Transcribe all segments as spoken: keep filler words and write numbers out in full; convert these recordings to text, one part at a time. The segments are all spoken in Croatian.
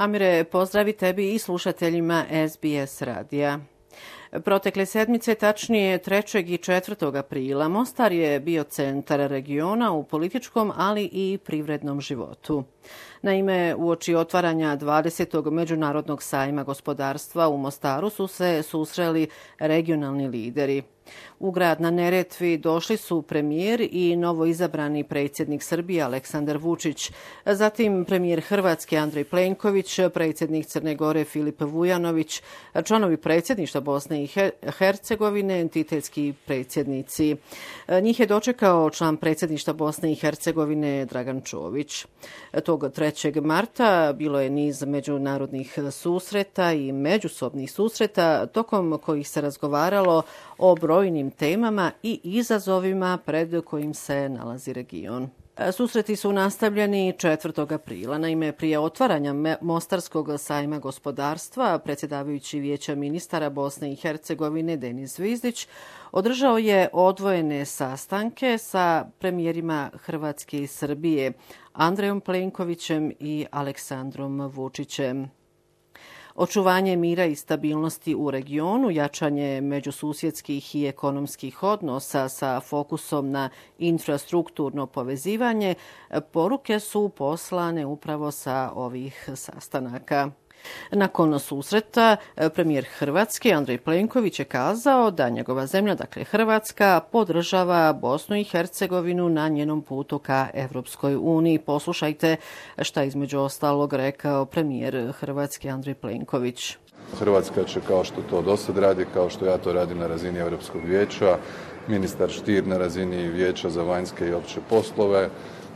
Amire, pozdravi tebi i slušateljima S B S radija. Protekle sedmice, tačnije trećeg i četvrtog aprila, Mostar je bio centar regiona u političkom, ali i privrednom životu. Naime, uoči otvaranja dvadesetog međunarodnog sajma gospodarstva u Mostaru su se susreli regionalni lideri. U grad na Neretvi došli su premijer i novoizabrani predsjednik Srbije Aleksandar Vučić, zatim premijer Hrvatske Andrej Plenković, predsjednik Crne Gore Filip Vujanović, članovi predsjedništva Bosne i Hercegovine, entitetski predsjednici. Njih je dočekao član predsjedništva Bosne i Hercegovine Dragan Čović. Tog trećeg marta bilo je niz međunarodnih susreta i međusobnih susreta tokom kojih se razgovaralo o brojnim temama i izazovima pred kojim se nalazi region. Susreti su nastavljeni četvrtog aprila. Naime, prije otvaranja Mostarskog sajma gospodarstva, predsjedavajući Vijeća ministara Bosne i Hercegovine Denis Zvizdić održao je odvojene sastanke sa premijerima Hrvatske i Srbije Andrejom Plenkovićem i Aleksandrom Vučićem. Očuvanje mira i stabilnosti u regionu, jačanje međususjedskih i ekonomskih odnosa sa fokusom na infrastrukturno povezivanje, poruke su poslane upravo sa ovih sastanaka. Nakon susreta, premijer Hrvatske Andrej Plenković je kazao da njegova zemlja, dakle Hrvatska, podržava Bosnu i Hercegovinu na njenom putu ka Evropskoj uniji. Poslušajte šta između ostalog rekao premijer Hrvatske Andrej Plenković. Hrvatska će, kao što to dosad radi, kao što ja to radim na razini Europskog vijeća, ministar Stier na razini Vijeća za vanjske i opće poslove,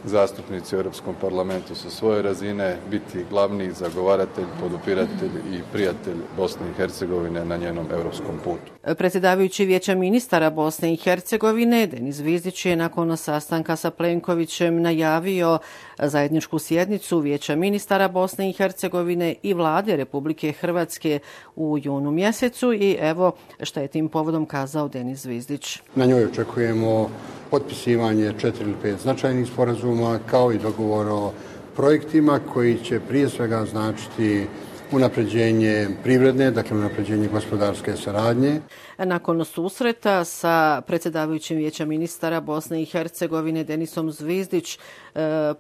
zastupnici u Europskom parlamentu sa svoje razine biti glavni zagovaratelj, podupiratelj i prijatelj Bosne i Hercegovine na njenom europskom putu. Predsjedavajući Vijeća ministara Bosne i Hercegovine Denis Zvizdić je nakon sastanka sa Plenkovićem najavio zajedničku sjednicu Vijeća ministara Bosne i Hercegovine i vlade Republike Hrvatske u junu mjesecu i evo šta je tim povodom kazao Denis Zvizdić. Na njoj očekujemo potpisivanje četiri ili pet značajnih sporazuma kao i dogovor o projektima koji će prije svega značiti unapređenje privredne, dakle unapređenje gospodarske saradnje. Nakon susreta sa predsjedavajućim Vijeća ministara Bosne i Hercegovine Denisom Zvizdić,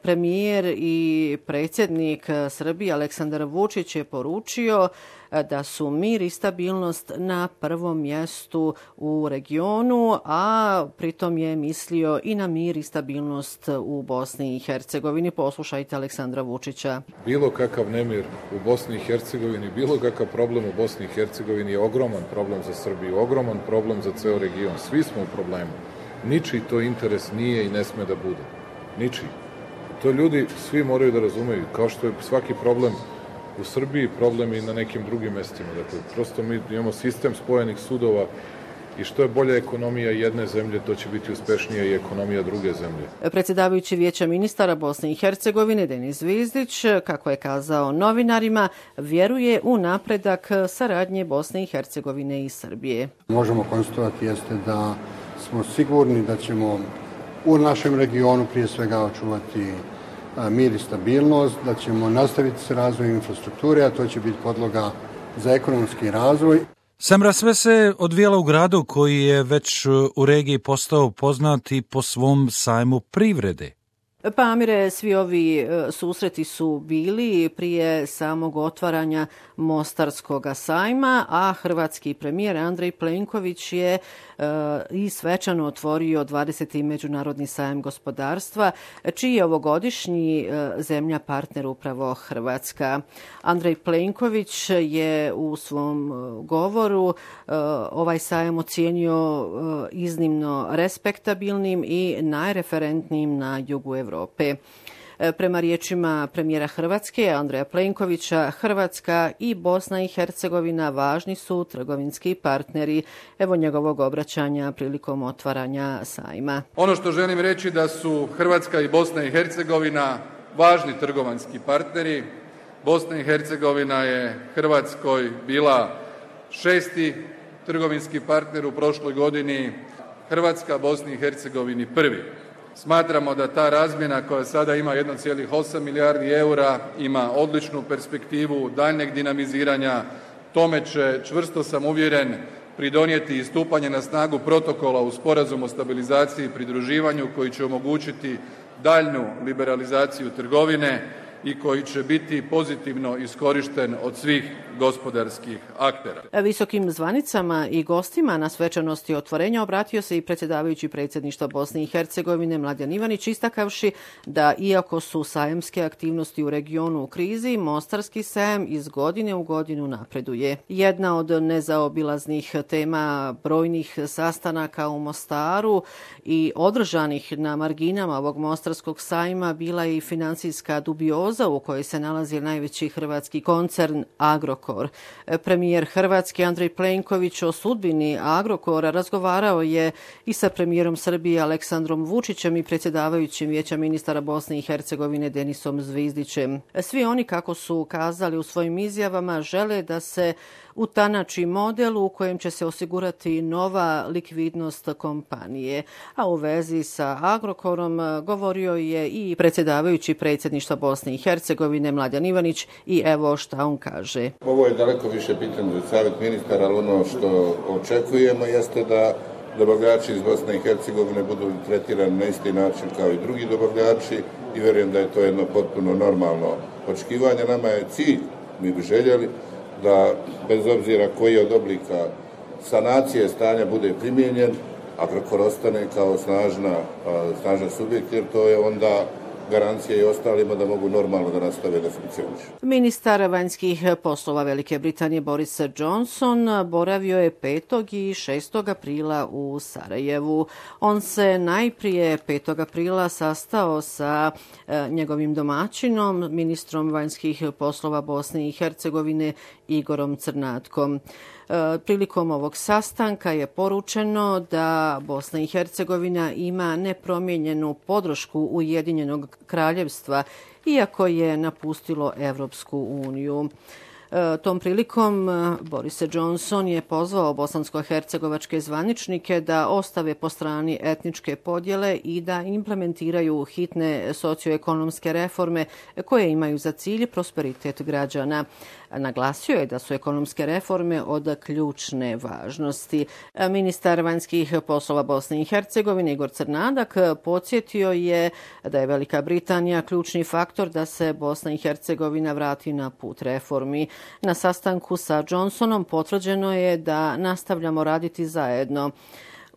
premijer i predsjednik Srbije Aleksandar Vučić je poručio da su mir i stabilnost na prvom mjestu u regionu, a pritom je mislio i na mir i stabilnost u Bosni i Hercegovini. Poslušajte Aleksandra Vučića. Bilo kakav nemir u Bosni i Hercegovini, bilo kakav problem u Bosni i Hercegovini je ogroman problem za Srbiju, ogroman problem za ceo region. Svi smo u problemu. Ničiji to interes nije i ne sme da bude. Ničiji. To ljudi svi moraju da razumeju, kao što je svaki problem u Srbiji, problem i na nekim drugim mestima. Dakle, prosto mi imamo sistem spojenih sudova i što je bolja ekonomija jedne zemlje, to će biti uspešnija i ekonomija druge zemlje. Predsjedavajući Vijeća ministara Bosne i Hercegovine Denis Zvizdić, kako je kazao novinarima, vjeruje u napredak saradnje Bosne i Hercegovine i Srbije. Možemo konstatovati jeste da smo sigurni da ćemo u našem regionu prije svega očuvati mir i stabilnost, da ćemo nastaviti s razvojem infrastrukture, a to će biti podloga za ekonomski razvoj. Semra, sve se odvijalo u gradu koji je već u regiji postao poznat i po svom sajmu privrede. Pa Amire, svi ovi susreti su bili prije samog otvaranja Mostarskog sajma, a hrvatski premijer Andrej Plenković je uh, i svečano otvorio dvadeseti međunarodni sajam gospodarstva, čiji je ovogodišnji uh, zemlja partner upravo Hrvatska. Andrej Plenković je u svom govoru uh, ovaj sajam ocijenio uh, iznimno respektabilnim i najreferentnijim na jugu Evrope. Prema riječima premijera Hrvatske Andreja Plenkovića, Hrvatska i Bosna i Hercegovina važni su trgovinski partneri. Evo njegovog obraćanja prilikom otvaranja sajma. Ono što želim reći da su Hrvatska i Bosna i Hercegovina važni trgovinski partneri. Bosna i Hercegovina je Hrvatskoj bila šesti trgovinski partner u prošloj godini, Hrvatska Bosni i Hercegovini prvi. Smatramo da ta razmjena koja sada ima jedan zarez osam milijardi eura ima odličnu perspektivu daljnjeg dinamiziranja. Tome će, čvrsto sam uvjeren, pridonijeti i stupanje na snagu protokola u Sporazumu o stabilizaciji i pridruživanju koji će omogućiti daljnju liberalizaciju trgovine i koji će biti pozitivno iskorišten od svih gospodarskih aktera. Visokim zvanicama i gostima na svečanosti otvorenja obratio se i predsjedavajući predsjedništva Bosne i Hercegovine Mladen Ivanić, istakavši da iako su sajamske aktivnosti u regionu u krizi, Mostarski sajam iz godine u godinu napreduje. Jedna od nezaobilaznih tema brojnih sastanaka u Mostaru i održanih na marginama ovog Mostarskog sajma bila je i financijska dubioza u kojoj se nalazi najveći hrvatski koncern Agrokor. Premijer Hrvatske Andrej Plenković o sudbini Agrokora razgovarao je i sa premijerom Srbije Aleksandrom Vučićem i predsjedavajućim Vijeća ministara Bosne i Hercegovine Denisom Zvizdićem. Svi oni, kako su kazali u svojim izjavama, žele da se utanači model u kojem će se osigurati nova likvidnost kompanije. A u vezi sa Agrokorom govorio je i predsjedavajući predsjedništva Bosne i Hercegovine Mladen Ivanić i evo šta on kaže. Ovo je daleko više pitanje za savjet ministara, ali ono što očekujemo jeste da dobavljači iz Bosne i Hercegovine budu tretirani na isti način kao i drugi dobavljači i vjerujem da je to jedno potpuno normalno očekivanje. Nama je cilj, mi bi željeli da bez obzira koji od oblika sanacije stanja bude primijenjen, Agrokor ostane kao snažna, snažan subjekt, jer to je onda garancija i ostalima da mogu normalno da nastave da funkcionišu. Ministar vanjskih poslova Velike Britanije Boris Johnson boravio je petog i šestog aprila u Sarajevu. On se najprije petog aprila sastao sa e, njegovim domaćinom, ministrom vanjskih poslova Bosne i Hercegovine Igorom Crnatkom. Prilikom ovog sastanka je poručeno da Bosna i Hercegovina ima nepromijenjenu podršku Ujedinjenog kraljevstva, iako je napustilo Evropsku uniju. Tom prilikom Boris Johnson je pozvao bosansko-hercegovačke zvaničnike da ostave po strani etničke podjele i da implementiraju hitne socioekonomske reforme koje imaju za cilj prosperitet građana. Naglasio je da su ekonomske reforme od ključne važnosti. Ministar vanjskih poslova Bosne i Hercegovine Igor Crnadak podsjetio je da je Velika Britanija ključni faktor da se Bosna i Hercegovina vrati na put reformi. Na sastanku sa Johnsonom potvrđeno je da nastavljamo raditi zajedno.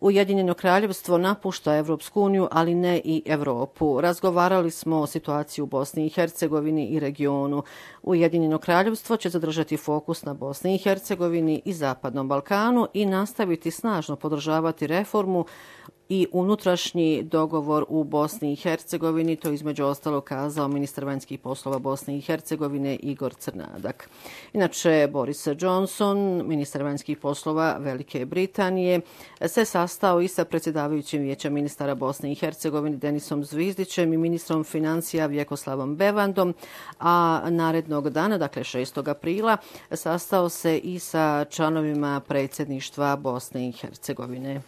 Ujedinjeno kraljevstvo napušta Evropsku uniju, ali ne i Europu. Razgovarali smo o situaciji u Bosni i Hercegovini i regionu. Ujedinjeno kraljevstvo će zadržati fokus na Bosni i Hercegovini i Zapadnom Balkanu i nastaviti snažno podržavati reformu i unutrašnji dogovor u Bosni i Hercegovini, to između ostalog kazao ministar vanjskih poslova Bosne i Hercegovine Igor Crnadak. Inače, Boris Johnson, ministar vanjskih poslova Velike Britanije, se sastao i sa predsjedavajućim Vijeća ministara Bosne i Hercegovine Denisom Zvizdićem i ministrom financija Vjekoslavom Bevandom, a narednog dana, dakle šestog aprila, sastao se i sa članovima predsjedništva Bosne i Hercegovine.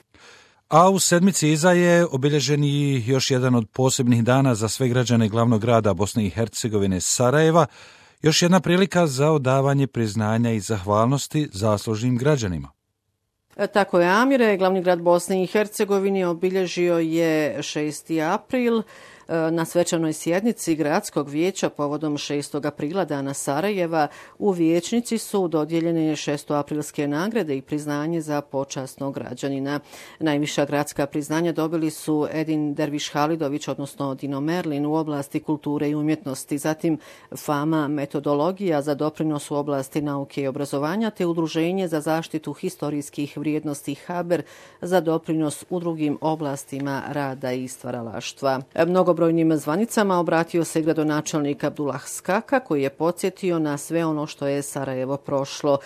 A u sedmici iza je obilježen i još jedan od posebnih dana za sve građane glavnog grada Bosne i Hercegovine Sarajeva, još jedna prilika za odavanje priznanja i zahvalnosti zaslužnim građanima. Tako je, Amire, glavni grad Bosne i Hercegovine obilježio je šesti april. Na svečanoj sjednici gradskog vijeća povodom šestog aprila dana Sarajeva u vijećnici su dodijeljene šestoaprilske nagrade i priznanje za počasnog građanina. Najviša gradska priznanja dobili su Edin Derviš Halidović, odnosno Dino Merlin u oblasti kulture i umjetnosti, zatim Fama metodologija za doprinos u oblasti nauke i obrazovanja, te Udruženje za zaštitu historijskih vrijednosti Haber za doprinos u drugim oblastima rada i stvaralaštva. Mnogo mnogobrojnim zvanicama obratio se gradonačelnik Abdullah Skaka, koji je podsjetio na sve ono što je Sarajevo prošlo.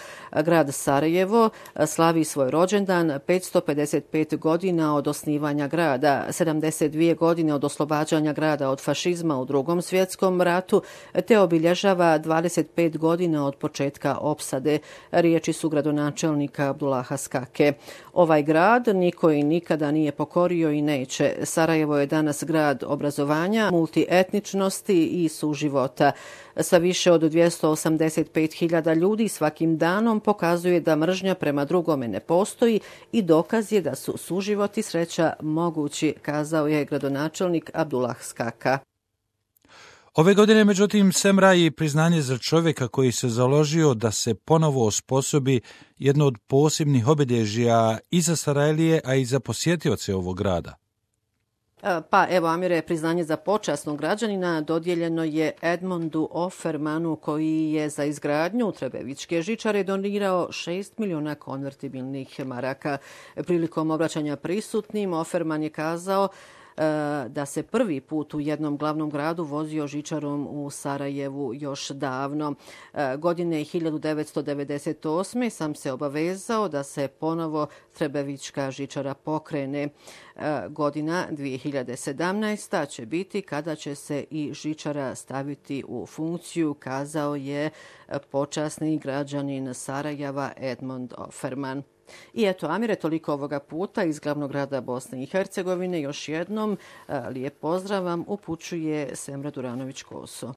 Grad Sarajevo slavi svoj rođendan petsto pedeset pet godina od osnivanja grada, sedamdeset dvije godine od oslobađanja grada od fašizma u Drugom svjetskom ratu, te obilježava dvadeset pet godina od početka opsade. Riječi su gradonačelnika Abdullaha Skake. Ovaj grad niko i nikada nije pokorio i neće. Sarajevo je danas grad obrazovanja, multietničnosti i suživota. Sa više od dvjesto osamdeset pet hiljada ljudi svakim danom pokazuje da mržnja prema drugome ne postoji i dokaz je da su suživot i sreća mogući, kazao je gradonačelnik Abdullah Skaka. Ove godine, međutim, Semra i priznanje za čovjeka koji se založio da se ponovo osposobi jedno od posebnih obilježja i za Sarajlije, a i za posjetioce ovog grada. Pa evo, Amire, priznanje za počasnog građanina dodijeljeno je Edmondu Offermanu, koji je za izgradnju Trebevićke žičare donirao šest miliona konvertibilnih maraka. Prilikom obraćanja prisutnim, Offerman je kazao da se prvi put u jednom glavnom gradu vozio žičarom u Sarajevu još davno. Godine hiljadu devetsto devedeset osme sam se obavezao da se ponovo Trebevićka žičara pokrene. Godina dvije hiljade sedamnaesta će biti kada će se i žičara staviti u funkciju, kazao je počasni građanin Sarajeva Edmond Offerman. I eto, Amire, toliko ovoga puta iz glavnog grada Bosne i Hercegovine. Još jednom lijep pozdrav vam upućuje Semra Duranović-Koso.